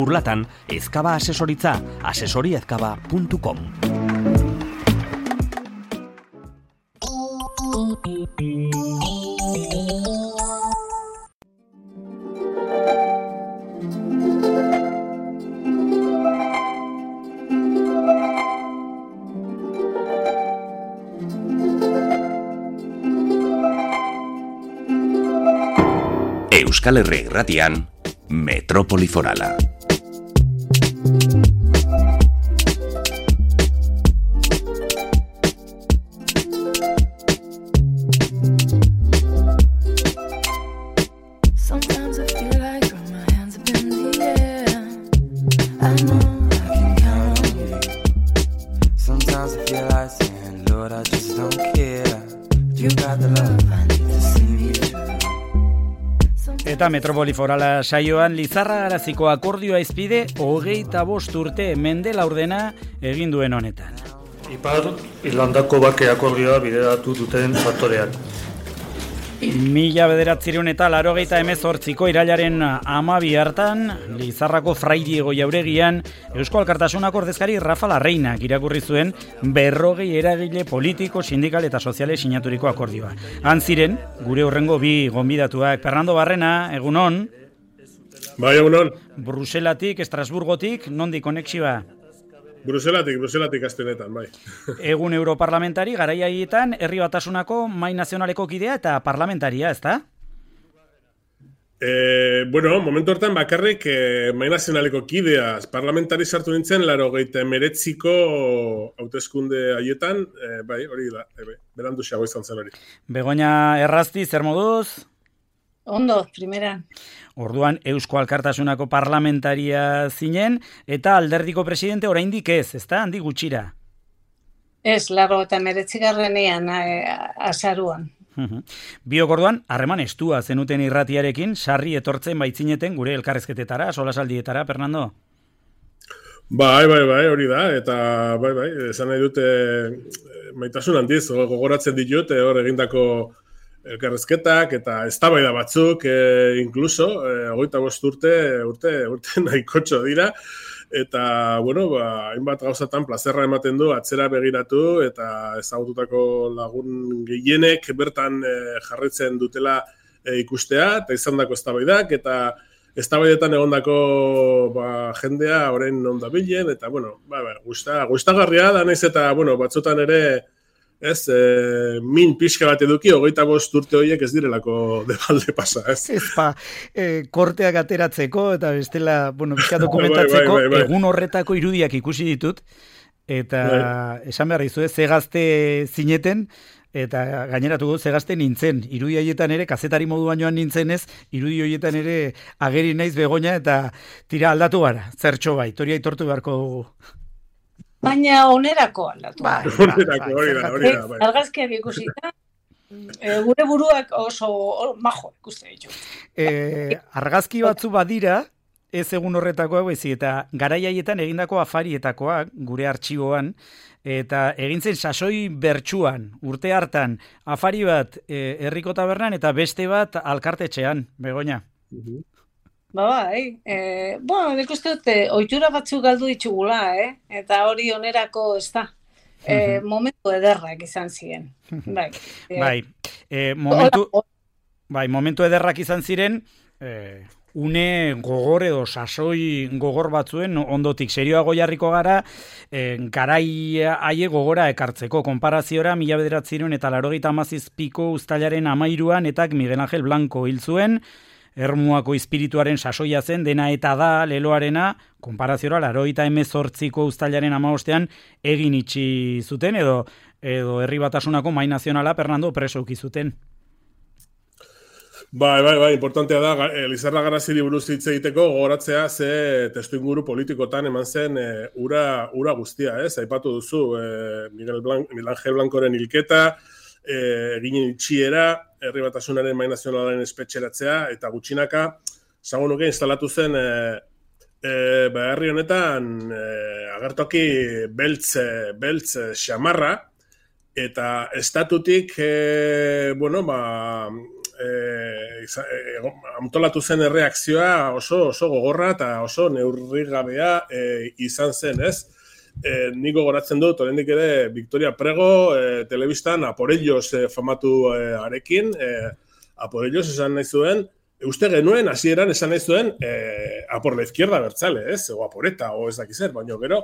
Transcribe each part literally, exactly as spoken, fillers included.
Urlatan, Ezkaba Asesoritza, asesoriezkaba puntu com. Euskal Herri Irratian, Metropoli Forala. Eta Metropoli Forala saioan Lizarra-Garaziko akordioa izpide hogeita bost urte mende laurdena egin duen honetan. Ipar Irlandako bake akordioa bideratu duten faktoreak. Mila bederatzireun eta laurogeita hemezortziko irailaren hamabi hartan, Lizarrako Fray Diego Jauregian, Eusko Alkartasunako ordezkari Rafa Larreinak irakurri zuen berrogei eragile politiko, sindikal eta soziale sinaturiko akordioa. Han ziren, gure hurrengo bi gonbidatuak, Fernando Barrena, egunon. Bai, egunon. Bruselatik, Estrasburgotik, nondik konexioa? Bruselatik, Bruselatik astenetan, bai. Egun europarlamentari, garaia haietan, herri batasunako mai nazionaleko kidea eta parlamentaria, ezta? E, bueno, momentu hortan bakarrik e, mai nazionaleko kidea parlamentari sartu nintzen, laro geita emeretziko hauteskunde haietan, e, bai, hori da, e, berandu xago izan zen hori. Begoña Errazti, zer moduz? Ondo, primera. Orduan Eusko Alkartasunako parlamentaria zinen, eta alderdiko presidente oraindik ez, ezta? Handi gutxira. Ez, laro eta meretzigarrenean azaruan. Biok orduan, harreman estua zenuten irratiarekin, sarri etortzen baitzineten gure elkarrezketetara, solasaldietara, Fernando? Bai, bai, bai, hori da, eta bai, bai, esan nahi dute maitasun handiz, gogoratzen ditut, hor egindako elkarrezketak eta eztabaida batzuk, e, incluso, e, hogeita bost urte, urte, urte nahikotxo dira, eta, bueno, ba, hainbat gauzatan plazerra ematen du, atzera begiratu, eta ezagututako lagun gehienek bertan e, jarraitzen dutela e, ikustea, eta izandako eztabaidak, eta eztabaidetan egondako ba, jendea orain non dabilen, eta, bueno, ba, ba, gusta, gustagarria da, naiz eta, bueno, batzutan ere, ez, e, min pixka bat eduki, hogeita bost urte horiek ez direlako debalde pasa, ez? Ez pa, e, korteak ateratzeko, eta bestela, bueno, pixka dokumentatzeko, bai, bai, bai, bai. Egun horretako irudiak ikusi ditut, eta bai. Esan behar dizu, ze gazte zineten, eta gaineratu gu, ze gazte nintzen, irudi horietan ere, kazetari moduan joan nintzen ez, irudi horietan ere ageri naiz Begoña, eta tira aldatu gara, zertxo bai, toria aitortu beharko dugu. Baina onerako aldatu. Ba, onerako, hori da, hori da. Argazkiak ikusita, e, gure buruak oso or, majo ikuste ditu. E, argazki batzu badira, ez egun horretakoak bezi, eta garai haietan egindako afarietakoak, gure artxiboan, eta egintzen sasoi bertsuan, urte hartan, afari bat e, herriko tabernan, eta beste bat alkartetxean, Begoña. Uh-huh. Ba, bai, e, bueno, nik uste dute, ohitura batzuk galdu ditugula, eh? Eta hori onerako, ez da, e, momentu ederrak izan ziren. Bai, e, bai, e, momentu, bai, momentu ederrak izan ziren, e, une gogor edo sasoi gogor batzuen, ondotik serioago jarriko gara, e, garai haie gogora ekartzeko, konparaziora, mila bederatzireun eta laurogeita hamazazpiko uztailaren hamairuan, eta Miguel Ángel Blanco hil zuen, Ermuako espirituaren sasoia zen, dena eta da leloarena, konparaziora, laurogeita hemezortziko uztailaren hamabostean egin itxi zuten, edo edo herri batasunako mai nazionala, Fernando, preso uki zuten. Bai, bai, bai, importantea da, Lizarra-Garaziri buruz hitz egiteko gogoratzea ze testuinguru politikotan eman zen e, ura, ura guztia, ez? Aipatu duzu, e, Miguel Blanc, Miguel Ángel Blancoren hilketa, eginen itxiera, herri batasunaren mai nazionalaren espetxeratzea, eta gutxinaka, zagun nuke instalatu zen e, e, ba, herri honetan e, agertoki beltz, beltz xamarra, eta estatutik, e, bueno, ba, e, e, antolatu zen erreakzioa oso oso gogorra eta oso neurrigabea e, izan zen, ez? E, niko goratzen dut, oraindik ere, Victoria Prego e, telebistan a por ellos e, famatu e, arekin, e, a por ellos esan nahi zuen, uste genuen, hasieran esan nahi zuen, e, a por la izquierda bertzale, ez? O a por eta, o ez dakizer, baina gero,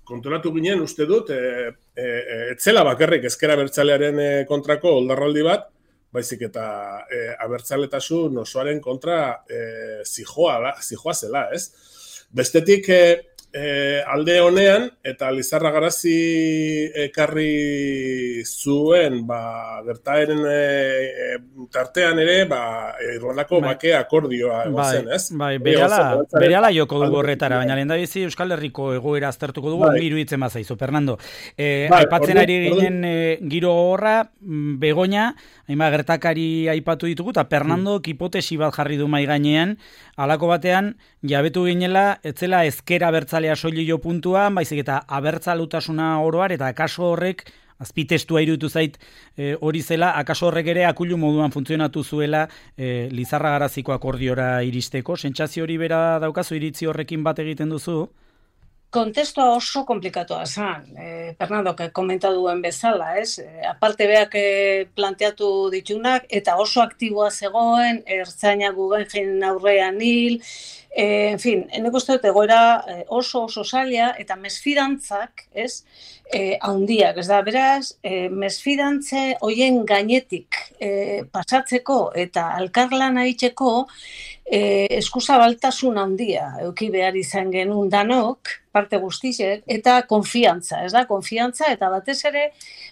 kontrolatu ginen uste dut, e, e, etzela bakarrik ezkera bertzalearen e, kontrako oldarraldi bat, baizik eta e, abertzaletasun osoaren kontra e, zijoa, zijoa zela, ez? Bestetik, e, E, alde honean, eta Lizarra Garazi ekarri zuen, ba, gertaeren e, tartean ere, ba, Irlandako bai. Bake akordioa egon bai, zen, ez? Bai, berehala, berehala joko dugu horretara, baina lehen da bizi Euskal Herriko egoera aztertuko dugu, bai. Miru hitzen bazaizu, Fernando. E, bai, aipatzen ordu, ari ginen e, giro horra, Begoña, hainba gertakari aipatu ditugu, eta Fernando mm. hipotesi bat jarri du mai gainean, halako batean, jabetu ginela, etzela ezkera abertzalea soilio puntuan, baizik eta abertzalutasuna oroar, eta akaso horrek, azpitestua iruditu zait e, hori zela, akaso horrek ere akulu moduan funtzionatu zuela e, Lizarra Garaziko akordiora iristeko. Sentsazio hori bera daukazu, iritzi horrekin bat egiten duzu? Kontestua oso komplikatoa zen, eh, Fernando, que komenta duen bezala, ez? Eh, aparte beak eh, planteatu ditunak, eta oso aktiboa zegoen, ertzaina Guggenheim aurrean hil, eh, en fin, eneko uste dut egoera eh, oso oso zaila, eta mesfidantzak, ez? Eh, haundiak, ez da, beraz, eh, mesfidantze hoien gainetik eh, pasatzeko eta alkarlana itxeko eh, eskuzabaltasun handia euki behar izan genuen danok, parte guztizek, eta konfiantza, ez da, konfiantza, eta batez ere,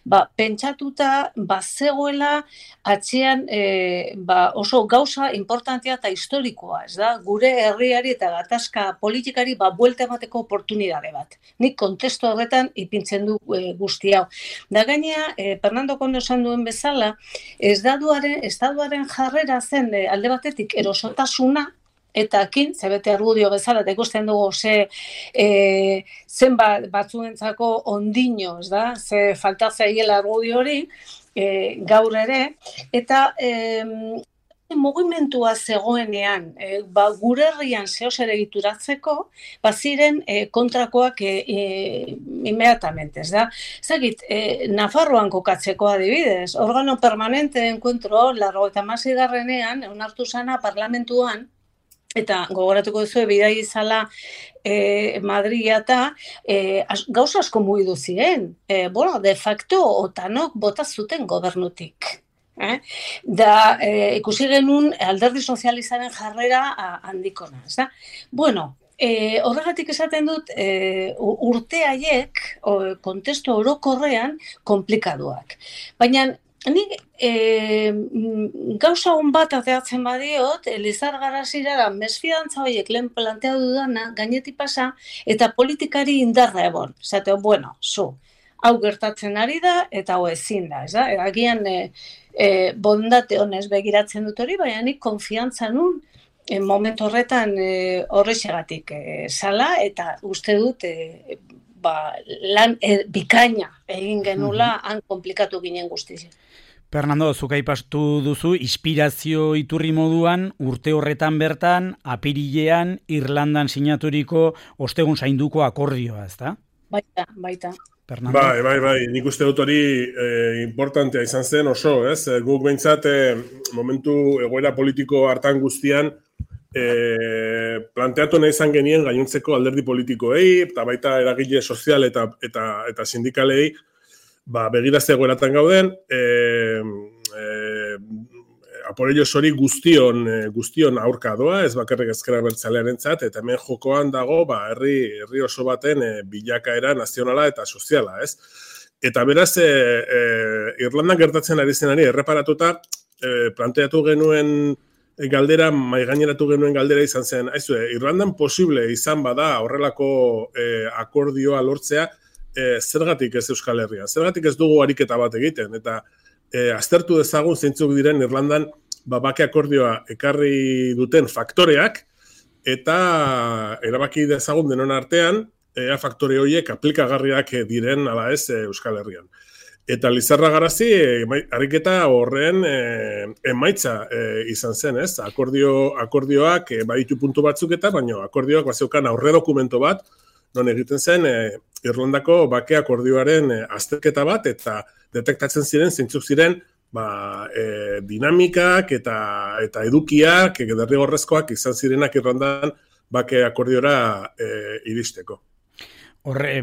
ba, pentsatuta, bazegoela, atzean, e, ba, oso gauza importantea eta historikoa, ez da, gure herriari eta gatazka politikari, ba, buelta emateko oportunidade bat. Nik kontestu horretan ipintzen du e, guzti hau. Da gainea, e, Fernando Kondo esan duen bezala, ez daduaren, estaduaren jarrera zen e, alde batetik erosotasuna, eta akin, zebete argudio bezala, eta ikusten dugu ze e, zen bat, batzuentzako ondino, ez da, ze falta zaiela argudio hori, e, gaur ere, eta e, mugimentua zegoenean, e, ba, gure herrian zehoz ere egituratzeko, baziren e, kontrakoak e, e, inmediatamente, ez da. Zagit, e, Nafarroan kokatzeko adibidez, organo permanente de encuentro, largo eta masigarrenean, onartu zana parlamentuan, eta gogoratuko duzu bidai izala e, Madria eta e, gauza asko mugidu ziren. E, bueno, de facto, otanok bota zuten gobernutik. Eh? Da, e, ikusi genuen alderdi sozializaren jarrera handikona. Ez da? Bueno, e, horregatik esaten dut e, urte haiek, kontestu orokorrean, komplikaduak. Baina, nik e, gauza hon bat ateatzen badiot, Lizarra Garazira mesfidantza horiek lehen planteatu dudana, gainetik pasa, eta politikari indarra egon. Zateo, bueno, zu, hau gertatzen ari da, eta hau ezin da, ez da? Agian e, e, bondate honez begiratzen dut hori, baina nik konfiantza nun, e, momentu horretan e, horrexegatik e, zala, eta uste dut, e, ba, lan e, bikaina egin genula, han komplikatu ginen guztiz. Fernando, zuk aipatu duzu, inspirazio iturri moduan, urte horretan bertan, apirilean, Irlandan sinaturiko ostegun zainduko akordioa, ezta? Baita, baita. Fernando? Bai, bai, bai, nik uste dut hori eh, importantea izan zen oso, ez? Guk behintzat, eh, momentu egoera politiko hartan guztian, eh, planteatu nahi izan genien gainontzeko alderdi politikoei, eta baita eragile sozial eta, eta, eta sindikalei, ba, begirazte egoeratan gauden, e, e, aporellos hori guztion, guztion aurka doa, ez bakarrik ezkera bertzalearentzat, eta hemen jokoan dago, ba, herri, herri oso baten e, bilakaera nazionala eta soziala, ez? Eta beraz, e, e, Irlandan gertatzen ari zenari erreparatuta, e, planteatu genuen galdera, maigaineratu genuen galdera izan zen, aizue, Irlandan posible izan bada horrelako e, akordioa lortzea, E, zergatik ez Euskal Herria, zergatik ez dugu ariketa bat egiten, eta e, aztertu dezagun zeintzuk diren Irlandan ba, bake akordioa ekarri duten faktoreak, eta erabaki dezagun denon artean, ea faktore horiek aplikagarriak diren ala ez Euskal Herrian. Eta Lizarra Garazi, ariketa horren e, emaitza e, izan zen, ez? Akordio, akordioak e, baditu puntu batzuk eta, baina akordioak bazeukan aurre dokumento bat, non egiten zen e, Irlandako bake akordioaren e, azterketa bat, eta detektatzen ziren, zeintzuk ziren, ba, e, dinamikak eta eta edukiak, e, derrigorrezkoak izan zirenak Irlandan bake akordiora e, iristeko. Horre,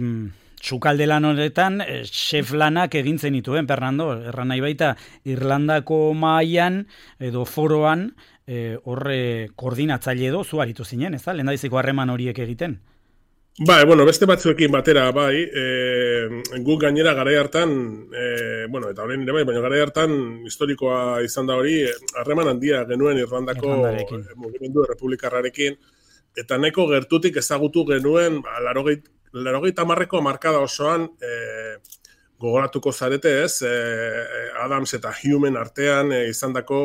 sukalde lan horretan, chef lanak egin zenituen, Fernando, erran nahi baita, Irlandako mailan edo foroan, e, horre koordinatzaile edo, zu aritu zinen, ez da? Lehendabiziko harreman horiek egiten? Bai, bueno, beste batzuekin batera, bai, e, guk gainera garai hartan, e, bueno, eta horrein ere bai, baina garai hartan historikoa izan da hori, harreman handia genuen Irlandako mugimendu republikarrarekin, eta nahiko gertutik ezagutu genuen, ba, larogeit, Larogeita hamarreko markada osoan e, gogoratuko zarete, ez? E, Adams eta Humen artean e, izandako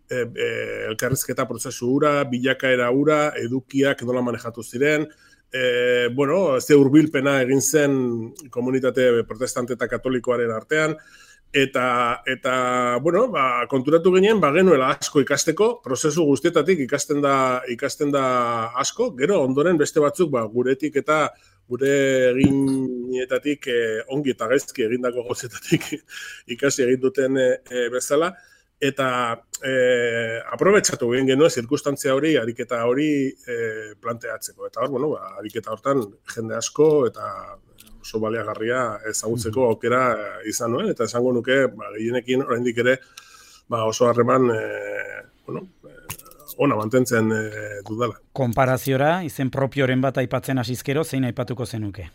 e, e, elkarrizketa prozesu hura, bilakaera hura, edukiak nola manejatu ziren. E, bueno, ze hurbilpena egin zen komunitate protestante eta katolikoaren artean. Eta, eta bueno, ba, konturatu ginen, ba, genuela asko ikasteko, prozesu guztietatik ikasten da, ikasten da asko, gero ondoren beste batzuk, ba, guretik eta gure eginetatik eh, ongi eta gaizki egindako gozetatik ikasi egin duten eh, bezala, eta eh, aprobetxatu egin genuen zirkustantzia hori, ariketa hori eh, planteatzeko. Eta hor, bueno, ba, ariketa hortan jende asko eta oso baliagarria ezagutzeko aukera izan nuen, eta esango nuke, ba, gehienekin oraindik ere ba, oso harreman eh, bueno, ona mantentzen e, dudala. Konparaziora, izen propioren bat aipatzen hasizkero, zein aipatuko zenuke?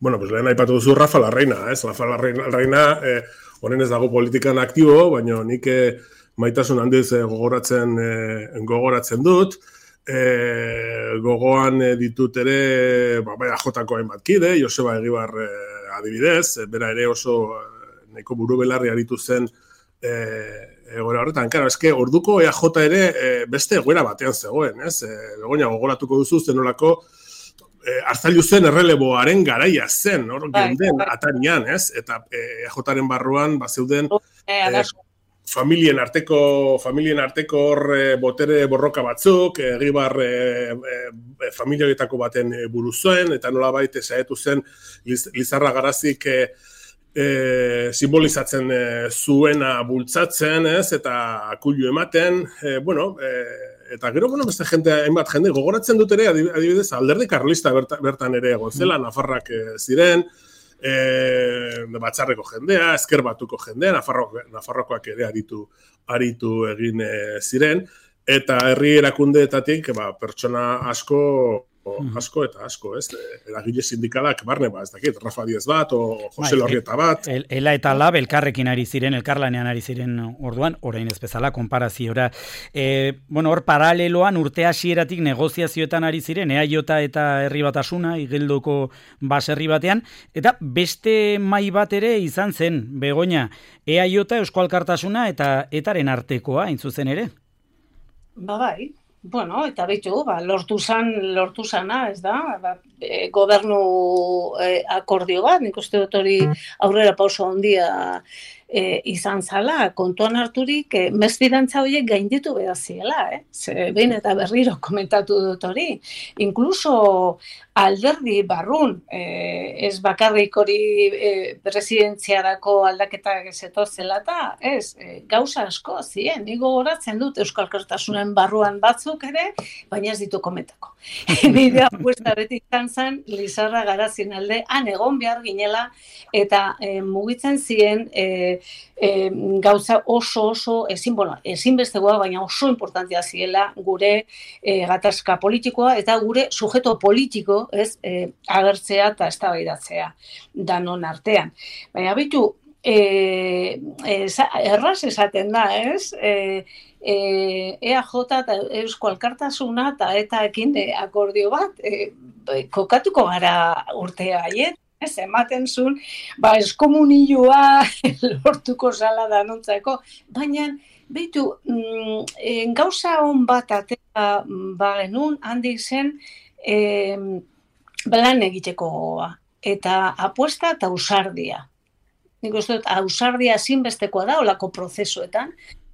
Bueno, pues lehen aipatu duzu Rafa Larreina, ez? Rafa Larreina, eh, honen ez dago politikan aktibo, baina nik eh, maitasun handiz eh, gogoratzen, eh, gogoratzen dut. Eh, gogoan eh, ditut ere, ba, bai, A Jko hainbat kide, Joseba Egibar eh, adibidez, eh, bera ere oso eh, nahiko buru belarri aritu zen eh, egoera horretan, claro, eske orduko E A J ere e, beste egoera batean zegoen, ez? E, Begoña, gogoratuko duzu zenolako e, Arzailu zen erreleboaren garaia zen, hor geunden atarian, ez? Eta E A Jaren barruan bazeuden e, familien arteko familien arteko hor e, botere borroka batzuk, Egibar e, e, familia horietako baten e, buru zuen, eta nolabait saiatu zen Liz, Lizarra Garazik e, E, simbolizatzen e, zuena bultzatzen, ez, eta akuilu ematen, e, bueno, e, eta gero, bueno, beste jente, hainbat jende, gogoratzen dut ere, adibidez, alderdi karlista bertan, bertan ere egon zela, Nafarrak e, ziren, e, batzarreko jendea, ezker batuko jendea, Nafarroko, Nafarrokoak ere aritu, aritu egin e, ziren, eta herri erakundeetatik, ba, pertsona asko, asko eta asko, ez? Eragile sindikalak barne, ba, ez dakit, Rafa Diez bat, o Jose Lorrieta bat. El, ela eta Lab elkarrekin ari ziren, elkarlanean ari ziren orduan, orain ez bezala, konparaziora. E, bueno, hor paraleloan urte hasieratik negoziazioetan ari ziren, E A J eta Herri Batasuna, Igeldoko baserri batean, eta beste mai bat ere izan zen, Begoña, E A J, Eusko Alkartasuna eta etaren artekoa, hain zuzen ere? Ba bai. Bueno, eta bitu, ba, lortu zan, lortu zana, ez da, ba, e, gobernu e, akordio bat, nik uste dut hori aurrera pauso handia e, izan zala, kontuan harturik, e, mesfidantza horiek gainditu behar ziela, eh? Ze, behin eta berriro komentatu dut hori. Inkluso alderdi barrun, e, ez bakarrik hori e, presidentziarako aldaketak ezeto zelata, ez, e, gauza asko ziren, nik gogoratzen dut Euskal Alkartasunen barruan batzuk ere, baina ez ditu komentako. Nire apuesta beti izan zen, Lizarra Garazien alde, han egon behar ginela, eta e, mugitzen ziren e, e, gauza oso oso ezin, bueno, ezinbestegoa, baina oso importantzia ziela gure e, gatazka politikoa eta gure sujeto politiko, ez, e, agertzea eta eztabaidatzea danon artean. Baina bitu, e, e, erraz esaten da, ez? E, e, E A J eta Eusko Alkartasuna eta etaekin e, akordio bat, e, kokatuko gara urtea haiet, ez, ematen zuen, ba, eskomunioa lortuko zala danontzako, baina, behitu, mm, gauza hon bat atera ba genuen, handik zen, e, lan egiteko gogoa, eta apuesta eta ausardia. nik uste dut, ausardia zinbestekoa da, olako prozesuetan,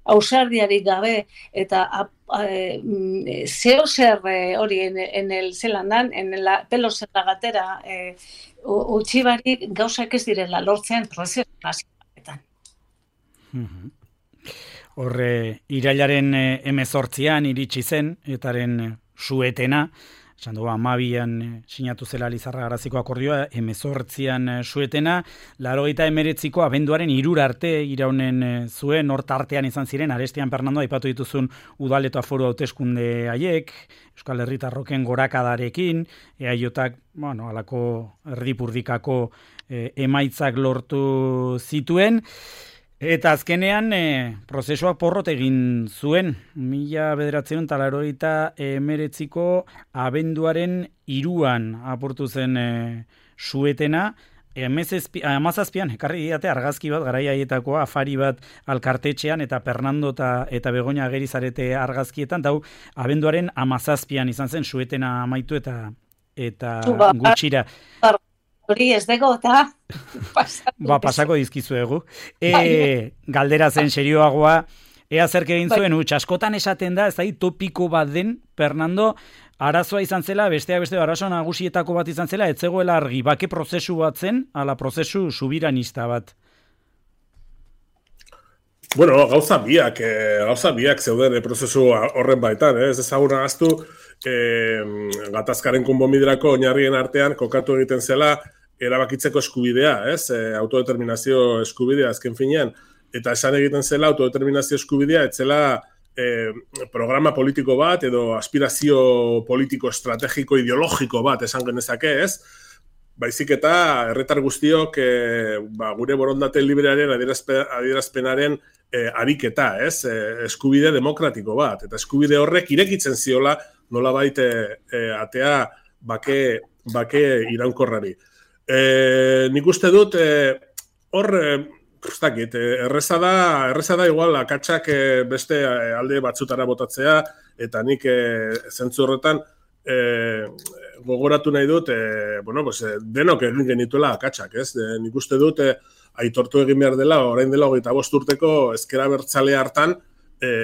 ausardiarik gabe, eta e, zeo zer hori en, en el zelandan, en la pelo zerragatera, e, utxibarik gauzak ez direla lortzen prozesu nazioetan. Horre, irailaren emezortzian iritsi zen, etaren suetena, esan dugu, amabian sinatu zela Lizarra-Garaziko akordioa, emezortzian suetena, laurogeita emeretziko abenduaren hirura arte iraunen zuen, hor tartean izan ziren, Arestian Fernando, aipatu dituzun udal eta foru hauteskunde haiek, Euskal Herritarroken gorakadarekin, eaiotak, bueno, alako erdipurdikako eh, emaitzak lortu zituen, eta azkenean e, prozesuak porrot egin zuen, mila bederatziehun eta laurogeita emeretziko abenduaren hiruan apurtu zen e, suetena, hamazazpian, ekarri diate argazki bat, garai haietakoa, afari bat alkartetxean, eta Fernando eta, eta Begoña agerizarete argazkietan, eta hau abenduaren hamazazpian izan zen suetena amaitu eta, eta gutxira. Hori ez dago, eta ba, pasako dizkizuegu. E, galdera zen serioagoa, ea zerke egin zuen, utx, askotan esaten da, ez da, topiko bat den, Fernando, arazoa izan zela, besteak beste arazo nagusietako bat izan zela, ez zegoela argi, bake prozesu bat zen, ala prozesu subiranista bat. Bueno, gauza biak, eh, gauza biak zeuden eh, prozesu horren baitan, eh? Ez ezagun ahaztu, eh, gatazkaren konponbiderako oinarrien artean kokatu egiten zela, erabakitzeko eskubidea, ez? E, autodeterminazio eskubidea azken finean, eta esan egiten zela autodeterminazio eskubidea, etzela e, programa politiko bat edo aspirazio politiko estrategiko ideologiko bat esan genezake, ez? Baizik eta herritar guztiok e, ba, gure borondate librearen adierazpe, adierazpenaren e, ariketa, ez? E, eskubide demokratiko bat, eta eskubide horrek irekitzen ziola nolabait e, e, atea bake, bake iraunkorrari. E, nik uste dut, e, hor, e, ustakit, e, erreza da, erreza da igual akatsak e, beste alde batzutara botatzea, eta nik e, zentzu horretan e, gogoratu nahi dut, e, bueno, pues, e, denok egin genituela akatsak, ez? E, nik uste dut, e, aitortu egin behar dela, orain dela hogeita bost urteko ezkera bertzale hartan, e,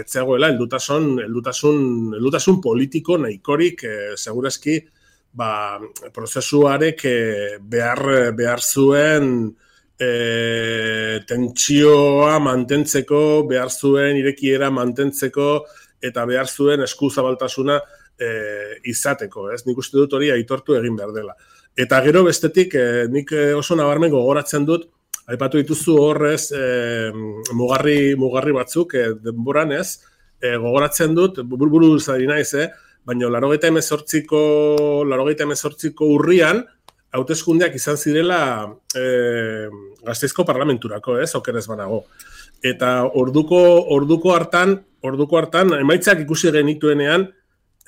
etzegoela, heldutasun, heldutasun, heldutasun politiko nahikorik, e, segurazki, ba, prozesuarek behar, behar zuen e, tentsioa mantentzeko, behar zuen irekiera mantentzeko, eta behar zuen eskuzabaltasuna e, izateko, ez? Nik uste dut hori aitortu egin behar dela. Eta gero bestetik, e, nik oso nabarmen gogoratzen dut, aipatu dituzu horrez e, mugarri, mugarri batzuk, e, denboran ez, e, gogoratzen dut, burburu zari naiz, eh? Baina laurogeita hemezortziko, laurogeita hemezortziko urrian, hauteskundeak izan zirela e, Gasteizko parlamenturako, ez, okerez banago. Eta orduko, orduko hartan, orduko hartan, emaitzak ikusi genituenean,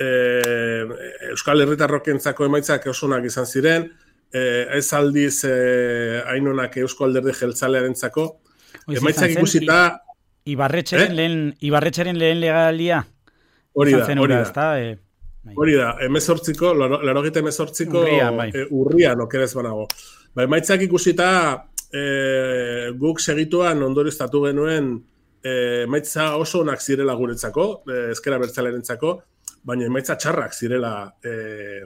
e, Euskal Herritarrokentzako emaitzak osonak izan ziren, e, ez aldiz e, hainonak Eusko Alderdi Jeltzalearentzako, emaitzak ikusita... Ibarretxeren, eh? lehen, Ibarretxeren lehen legalia? Hori da, hori da. Ezta, e... Hori da, emezortziko, laurogeita emezortziko urrian, bai. e, urrian okerez banago. Ba, emaitzak ikusita e, guk segituan ondorioztatu genuen e, emaitza oso onak zirela guretzako, e, ezkera bertzalerentzako, baina emaitza txarrak zirela e,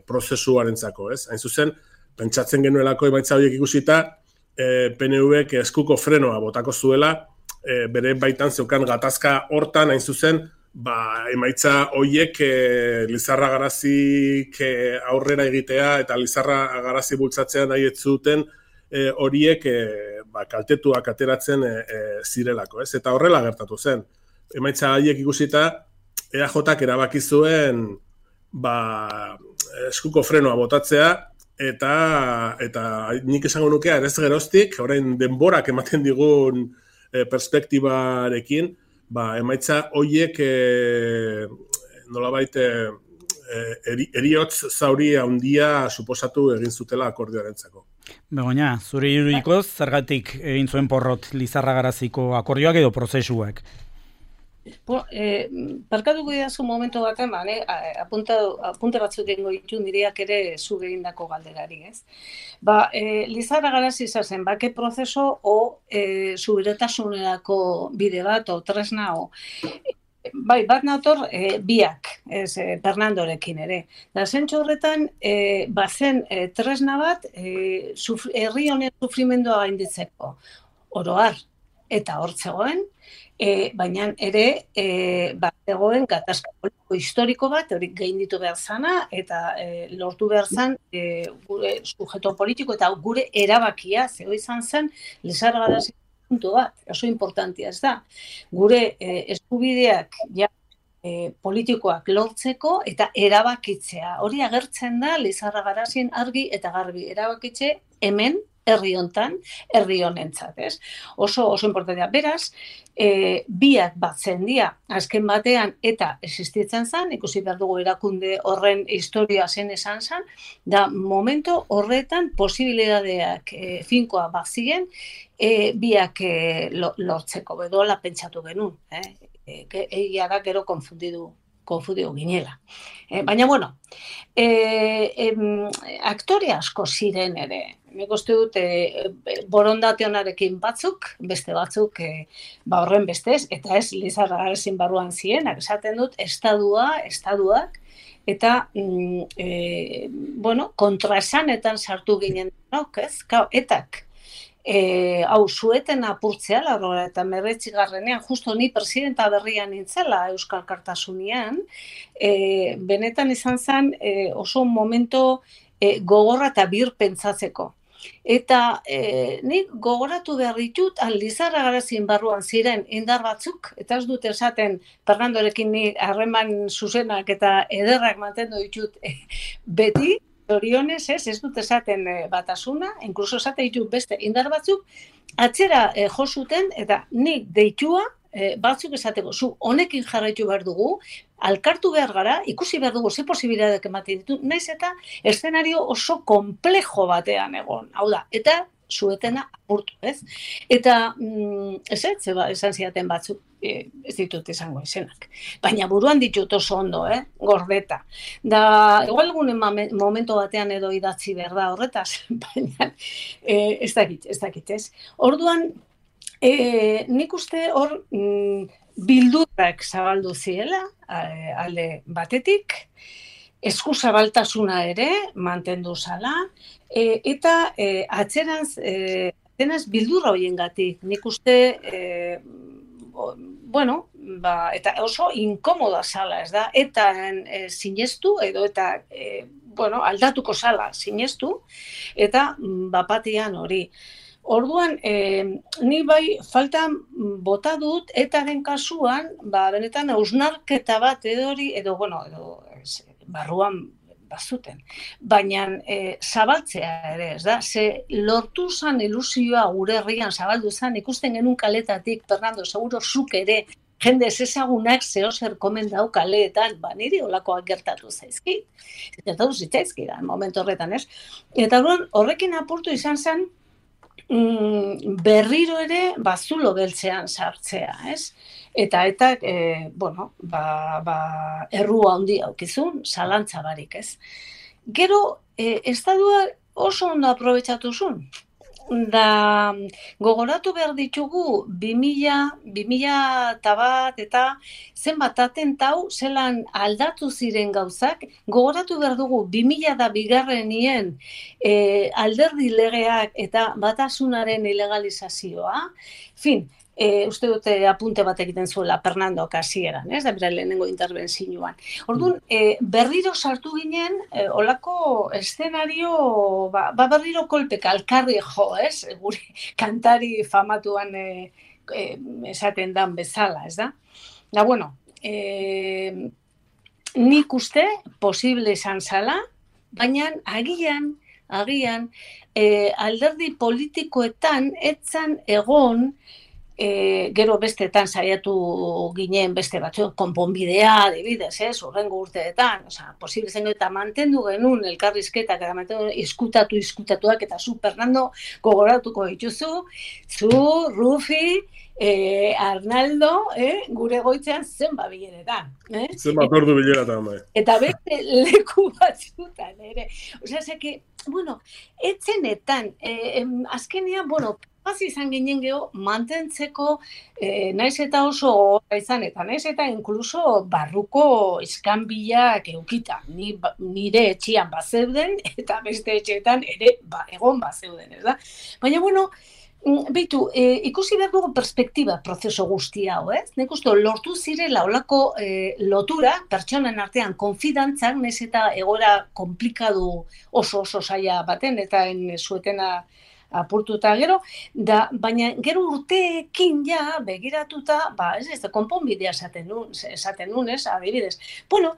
prozesuarentzako, ez? Hain zuzen, pentsatzen genuelako emaitza horiek ikusita, e, P N Vek eskuko frenoa botako zuela, e, bere baitan zeukan gatazka hortan, hain zuzen, ba, emaitza hoiek e, Lizarra Garazik e, aurrera egitea eta Lizarra Garazi bultzatzea nahi ez zuten e, horiek e, ba, kaltetuak ateratzen e, e, zirelako, ez? Eta horrela gertatu zen. Emaitza haiek ikusita E A Jk erabaki zuen ba, eskuko frenoa botatzea eta eta nik esango nuke ez geroztik, orain denborak ematen digun e, perspektibarekin, ba, emaitza hoiek e, nolabait e, eri, eriotz zauri handia suposatu egin zutela akordioarentzako. Begoña, zure irudikoz, zergatik egin zuen porrot Lizarra Garaziko akordioak edo prozesuak? Eh, Parkatuko didazu momentu baten, ba, ne? Apunta, apunte batzuk egingo ditu nireak ere zu egindako galderari, ez? Ba, eh, Lizarra Garazi zen, bake prozeso o eh, subirotasunerako bide bat, o tresna, o bai, bat nator e, biak, ez, e, Fernandorekin ere. Da, zentsu horretan, e, bazen e, tresna bat, e, sufri, herri honen sufrimendua gainditzeko. Oroar, eta hor zegoen, e, baina ere, e, bat zegoen gatazka politiko historiko bat, hori gainditu behar zana, eta e, lortu behar zan e, gure sujeto politiko, eta gure erabakia, zego izan zen, Lizarra Garazi puntu bat, oso importantia ez da. Gure eh, eskubideak ja, eh, politikoak lortzeko eta erabakitzea. Hori agertzen da Lizarra Garazien argi eta garbi erabakitze hemen, herri hontan, herri honentzat, ez? Oso, oso importantea. Beraz, e, biak batzen dira, azken batean, eta existitzen zen, ikusi behar dugu erakunde horren historia zen esan zen, da momento horretan posibilidadeak e, finkoa bazien, e, biak e, lortzeko, bedola pentsatu genuen, eh? E, egia da gero konfundidu konfundidu ginela. Eh, baina, bueno, eh, em, aktore asko ziren ere. Nik uste dut eh, borondate honarekin batzuk, beste batzuk eh, ba horren bestez, eta ez Lizarra Garazin barruan zienak, esaten dut, estadua, estaduak, eta, mm, eh, bueno, kontraesanetan sartu ginen, no, ez? Kau, etak, E, hau, zueten apurtzea, larroa eta merretxigarrenean, justo ni presidenta berrian nintzela Euskal Kartasunian, e, benetan izan zen e, oso momento e, gogorra eta bir pentsatzeko. Eta e, nik gogoratu behar ditut, Lizarra Garazin barruan ziren indar batzuk, eta ez dut esaten Fernandorekin ni harreman zuzenak eta ederrak mantendu ditut e, beti, Orionez, ez, ez dut esaten e, batasuna, inkluso esate ditut beste indar batzuk, atzera e, jo zuten, eta nik deitua e, batzuk esateko, zu honekin jarraitu behar dugu, alkartu behar gara, ikusi behar dugu, ze posibilitateak ematen ditu, naiz eta eszenario oso komplejo batean egon, hau da, eta zuetena apurtu, ez? Eta, mm, ez ez, zeba, esan zidaten batzuk, e, ez ditut izango izenak. Baina buruan ditut oso ondo, eh? Gordeta. Da, igual egunen momento batean edo idatzi behar da horretaz, baina e, ez dakit, ez dakit, ez? Orduan, e, nik uste hor mm, bildurrak zabaldu ziela, alde batetik, eskuzabaltasuna ere mantendu zala, e, eta e, atzeranz, e, atzeranz bildurra horiengatik. Nik uste, e, bueno, ba, eta oso inkomoda zala, ez da, eta e, sinestu, edo eta, e, bueno, aldatuko zala sinestu, eta bapatian hori. Orduan, e, ni bai faltan bota dut, etaren kasuan, ba, benetan hausnarketa bat edo hori, edo, bueno, edo, barruan bazuten. Baina e, zabaltzea ere, ez da? Ze lortu zan ilusioa gure herrian zabaldu zan, ikusten genuen kaletatik, Fernando, seguro zuk ere, jende ezagunak zehozer komen dau kaleetan, ba, niri olakoak gertatu zaizkit. Gertatu zitzaizkit, momentu horretan, ez? Eta horrekin apurtu izan zen, mm, berriro ere bazulo beltzean sartzea, ez? Eta eta, e, bueno, ba, ba, errua handi aukizun, zalantza barik, ez? Gero, e, estadua oso ondo aprobetxatu zuen. Da, gogoratu behar ditugu, bi mila, bi mila eta bat, eta zenbat atentau, zelan aldatu ziren gauzak, gogoratu behar dugu, bi mila da bigarrenien e, alderdi legeak eta batasunaren ilegalizazioa, fin, E, uste dute apunte bat egiten zuela Fernando hasieran, ez da bera lehenengo interbentzioan. Orduan, e, berriro sartu ginen, e, olako eszenario, ba, ba berriro kolpeka, alkarri jo, ez? Gure kantari famatuan e, e, esaten dan bezala, ez da? Da, bueno, e, nik uste posible izan zala, baina agian, agian, e, alderdi politikoetan etzan egon, E, gero besteetan saiatu ginen beste batzuk, konponbidea, adibidez, ez, urrengo urteetan, osea, posible zen eta mantendu genuen elkarrizketak, eta mantendu izkutatu, izkutatuak, eta zu, Fernando, gogoratuko dituzu, zu, Rufi, eh, Arnaldo, eh, gure goitzean zenba bileretan. Eh? Zenbat ordu bileratan, bai. Eta beste leku batzutan, ere. Osea, zeke, bueno, etzenetan, eh, azkenean, bueno, paz izan ginen geho, mantentzeko, eh, naiz eta oso gogorra izan, eta naiz eta inkluso barruko iskanbilak eukita. Ni, nire etxian bazeuden, eta beste etxeetan ere ba, egon bazeuden, ez da? Baina, bueno, Beitu, e, ikusi behar dugu perspektiba prozeso guzti hau, ez? Nik uste, lortu zirela olako e, lotura, pertsonen artean konfidantzak, nez eta egora komplikadu oso oso saia baten, eta en zuetena apurtuta gero, da, baina gero urteekin ja begiratuta, ba, ez ez, konponbidea esaten nun, esaten nun, ez, adibidez. Bueno,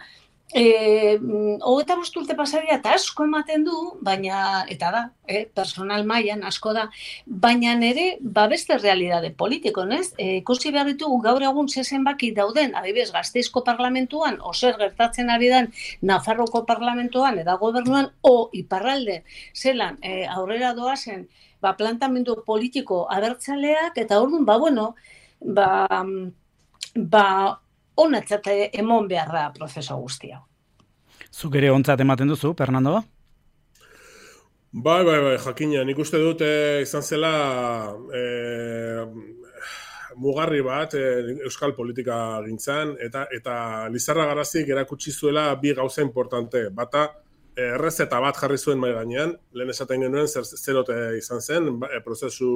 E, hogeta bost urte pasaria eta asko ematen du, baina, eta da, eh, personal mailan asko da, baina nere, ba beste realidade politiko, nez? E, ikusi behar ditugu gaur egun zezen baki dauden, adibidez, Gasteizko parlamentuan, oser gertatzen ari den Nafarroko parlamentuan, eta gobernuan, o iparralde, zelan, e, aurrera doazen, ba, plantamendu politiko abertzaleak, eta orduan, ba, bueno, ba, ba, onatzat emon behar da prozeso guztia. Zuk ere ontzat ematen duzu, Fernando? Bai, bai, bai, jakina, nik uste dut e, izan zela e, mugarri bat e, euskal politika gintzan, eta eta Lizarra Garazik erakutsi zuela bi gauza importante. Bata, errezeta bat jarri zuen mahai gainean, lehen esaten genuen zer, zerote izan zen, e, prozesu,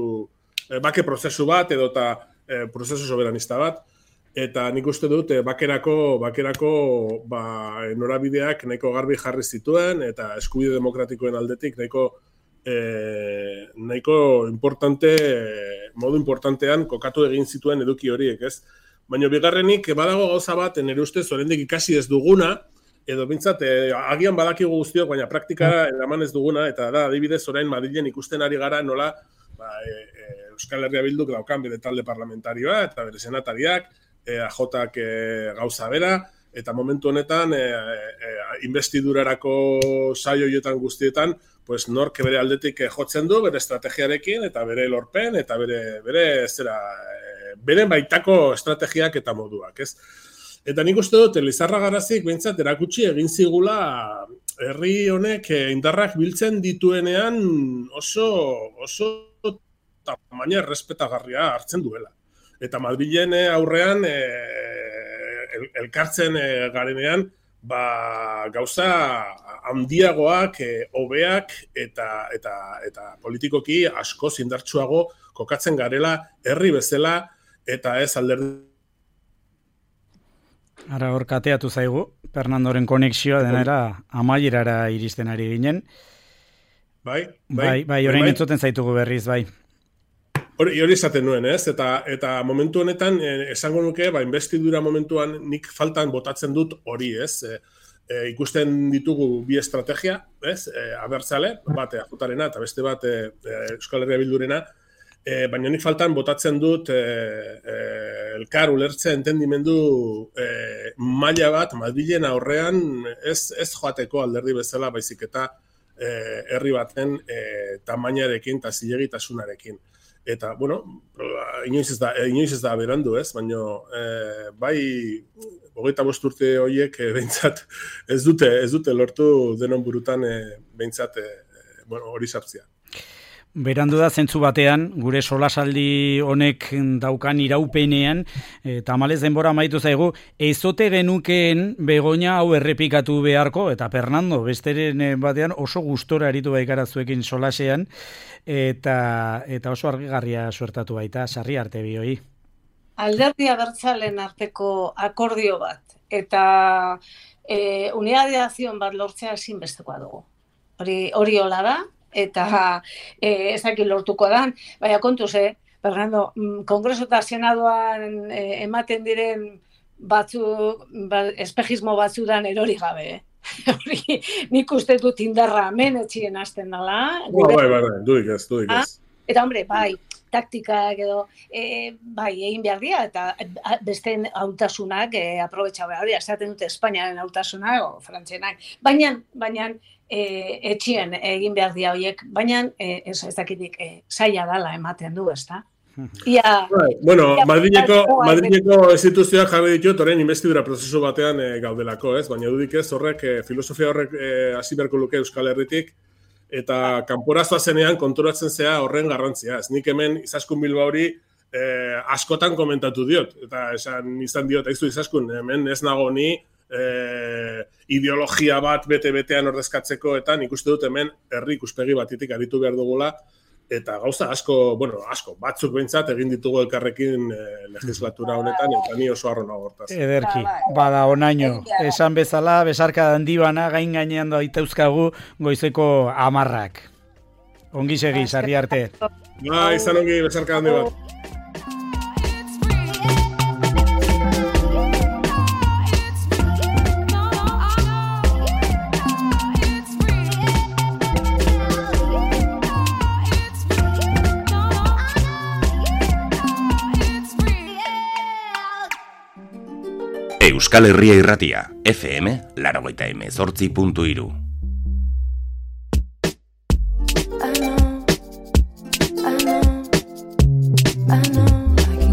e, bake prozesu bat edo eta e, prozesu soberanista bat. Eta nik uste dut, bakerako, bakerako ba, norabideak nahiko garbi jarri zituen, eta eskubide demokratikoen aldetik nahiko, eh, nahiko importante, modu importantean kokatu egin zituen eduki horiek, ez? Baina bigarrenik, badago gauza bat, nire ustez, oraindik ikasi ez duguna, edo bintzat, eh, agian badakigu guztiok, baina praktikara eraman ez duguna, eta da, adibidez, orain Madrilen ikusten ari gara nola, ba, e, e, Euskal Herria Bilduk daukan bere talde parlamentarioa, eta bere senatariak, E, A Jak e, gauza bera, eta momentu honetan e, e, investidurarako saioietan guztietan, pues nork bere aldetik jotzen du, bere estrategiarekin, eta bere lorpen, eta bere, bere, zera, e, bere baitako estrategiak eta moduak, ez? Eta nik uste dut, Lizarra Garazik behintzat erakutsi egin zigula herri honek indarrak biltzen dituenean oso, oso tamaina errespetagarria hartzen duela. Eta Madrilen aurrean e, el, elkartzen e, garenean ba, gauza handiagoak, e, hobeak eta, eta, eta politikoki asko indartsuago kokatzen garela herri bezala eta ez alderdi. Ara hor kateatu zaigu, Fernandoren konexioa denera amaierara iristen ari ginen. Bai, bai, bai, bai orain bai. Entzuten zaitugu berriz, bai. Hori, hori esaten nuen, ez? Eta, eta momentu honetan, eh, esango nuke, ba, investidura momentuan nik faltan botatzen dut hori, ez? E, e, ikusten ditugu bi estrategia, ez? E, abertzale, bat A Jarena eta beste bat e, Euskal Herria Bildurena, e, baina nik faltan botatzen dut e, e, elkar ulertze entendimendu e, maila bat Madrilen aurrean ez, ez joateko alderdi bezala baizik eta e, herri baten e, tamainarekin eta zilegitasunarekin. Eta, bueno, inoiz ez da, inoiz ez da berandu, ez? Baina, e, bai, hogeita bost urte horiek e, behintzat ez dute, ez dute lortu denon burutan e, behintzat e, bueno, hori sartzea. Berandu da zentzu batean, gure solasaldi honek daukan iraupenean, e, tamalez denbora amaitu zaigu, ezote genukeen Begoña hau errepikatu beharko, eta Fernando, besteren batean oso gustora aritu baikara zuekin solasean, eta, eta oso argigarria suertatu baita, sarri arte bioi. Alderdi abertzalen arteko akordio bat, eta e, unidadiazion bat lortzea ezinbestekoa dugu. Hori, hori hola da, eta eh, ezakit lortuko dan, baina kontuz, eh, Fernando, Kongreso eta Senaduan eh, ematen diren batzu, ba, espejismo batzudan erori gabe, eh? Hori, nik uste dut indarra hemen etxien hasten dela. Gure... Bai, bai, bai, duik ez, duik ez. Eta, hombre, bai, taktikak edo, e, bai, egin behar dira, eta besteen hautasunak e, aprobetxa behar dira, esaten dute Espainiaren hautasunak, o frantzenak, baina, baina, E, etxien egin behar dia horiek, baina e, ez, ez dakitik e, zaila dala ematen du, ezta? Ia, Bai, bueno, ia, Madrileko, bai, Madrileko instituzioak jarri ditut orain investidura prozesu batean e, gaudelako, ez? Baina dudik ez horrek, e, filosofia horrek hasi e, beharko luke Euskal Herritik, eta kanporazoa zenean konturatzen zea horren garrantzia. Ez nik hemen Izaskun Bilbaori e, askotan komentatu diot, eta esan izan diot, aizu Izaskun, hemen ez nago ni e, ideologia bat bete-betean ordezkatzeko, eta nik uste dut hemen herri ikuspegi batitik aritu behar dugula, eta gauza asko, bueno, asko, batzuk behintzat egin ditugu elkarrekin eh, legislatura honetan, eta ni oso harro nago hortaz. Ederki, bada onaino. Esan bezala, besarka handi bana gain gainean daitezkagu goizeko amarrak. Ongi segi, sarri arte. Ba, izan ongi, besarka handi bat. Euskal Herria Irratia, F M, laurogeita hemezortzi puntu hiru.